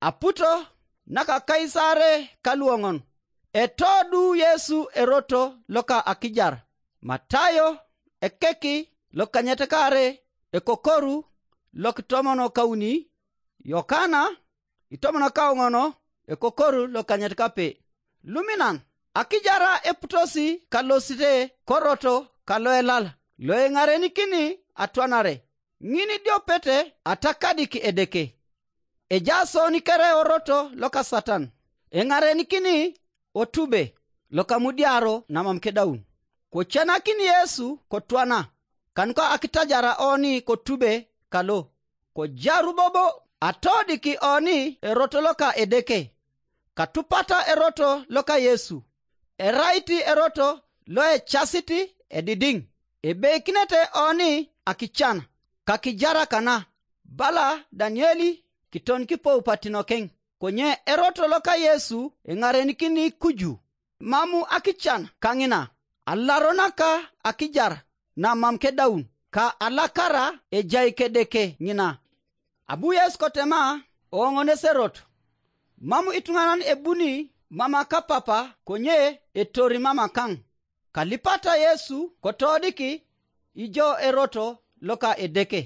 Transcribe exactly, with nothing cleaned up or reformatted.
Aputo naka Kaisare kaluoŋon. Etodu Yesu eroto loka akijar. Matayo ekeki lokanyet kare ekokoru lokitomono kauni, Yokana itomono kauŋono ekokoru lokanyet kape. Luminan akijara eputosi kalosite koroto kaloelal loeŋarenikini atwanare. Ŋin idiopete atakadik Edeke. Ejaas oni kere oroto loka Satan, eŋarenikini otube lokamudiaro namam kedaun. Kocenakin Yesu kotwana, kanuka akitajara oni kotube kalo. Kojaru bobo atodiki oni eroto loka Edeke, katupata eroto loka Yesu. Erait eroto loecasit edidiŋ. Ebeikinete oni akican kakijara kana, bala Danieli kiton kipou patinokeŋ. Konye eroto loka Yesu eŋarenikini kuju. Mamu akican kaŋina, alaronaka akijar namam kedaun, ka alakara ejai kedeke ŋina. Abu Yesu kotema oŋoneserot. Mam ituŋanan ebuni mama kapapa konye etori mama kaŋ. Kalipata Yesu kotodiki ijo eroto loka Edeke.